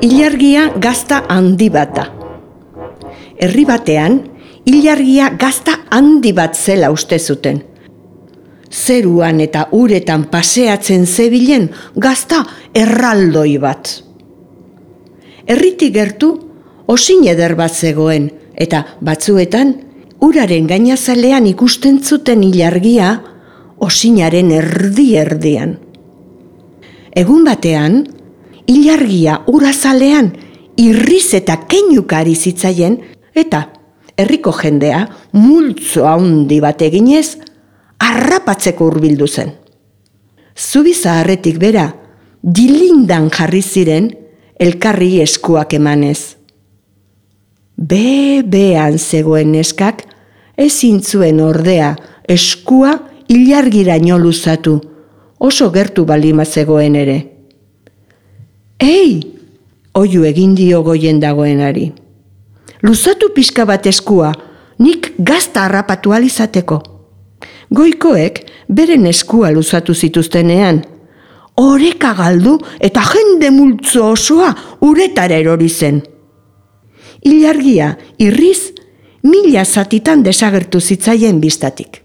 ilargia gazta handi bat da. Herri batean, ilargia gazta handi bat zela uste zuten. Zeruan eta uretan paseatzen zebilen gazta erraldoi bat. Herritik gertu osin eder bat zegoen, eta batzuetan uraren gainazalean ikusten zuten ilargia osinaren erdi-erdian. Egun batean, ilargia urazalean irriz eta keinukari zitzaien, eta herriko jendea multzo handi bat eginez harrapatzeko hurbildu zen. Zubi zaharretik bera, dilindan jarri ziren elkarri eskuak emanez. Behean zegoen neskak ezin zuen ordea eskua ilargiraino luzatu, oso gertu balima zegoen ere. Ei, oihu egin dio goien dagoenari. Luzatu pixka bat eskua, nik gazta harrapatu alizateko. Goikoek beren eskua luzatu zituztenean, oreka galdu eta jende multzo osoa uretara erori zen. Ilargia irriz 1000 zatitan desagertu zitzaien bistatik.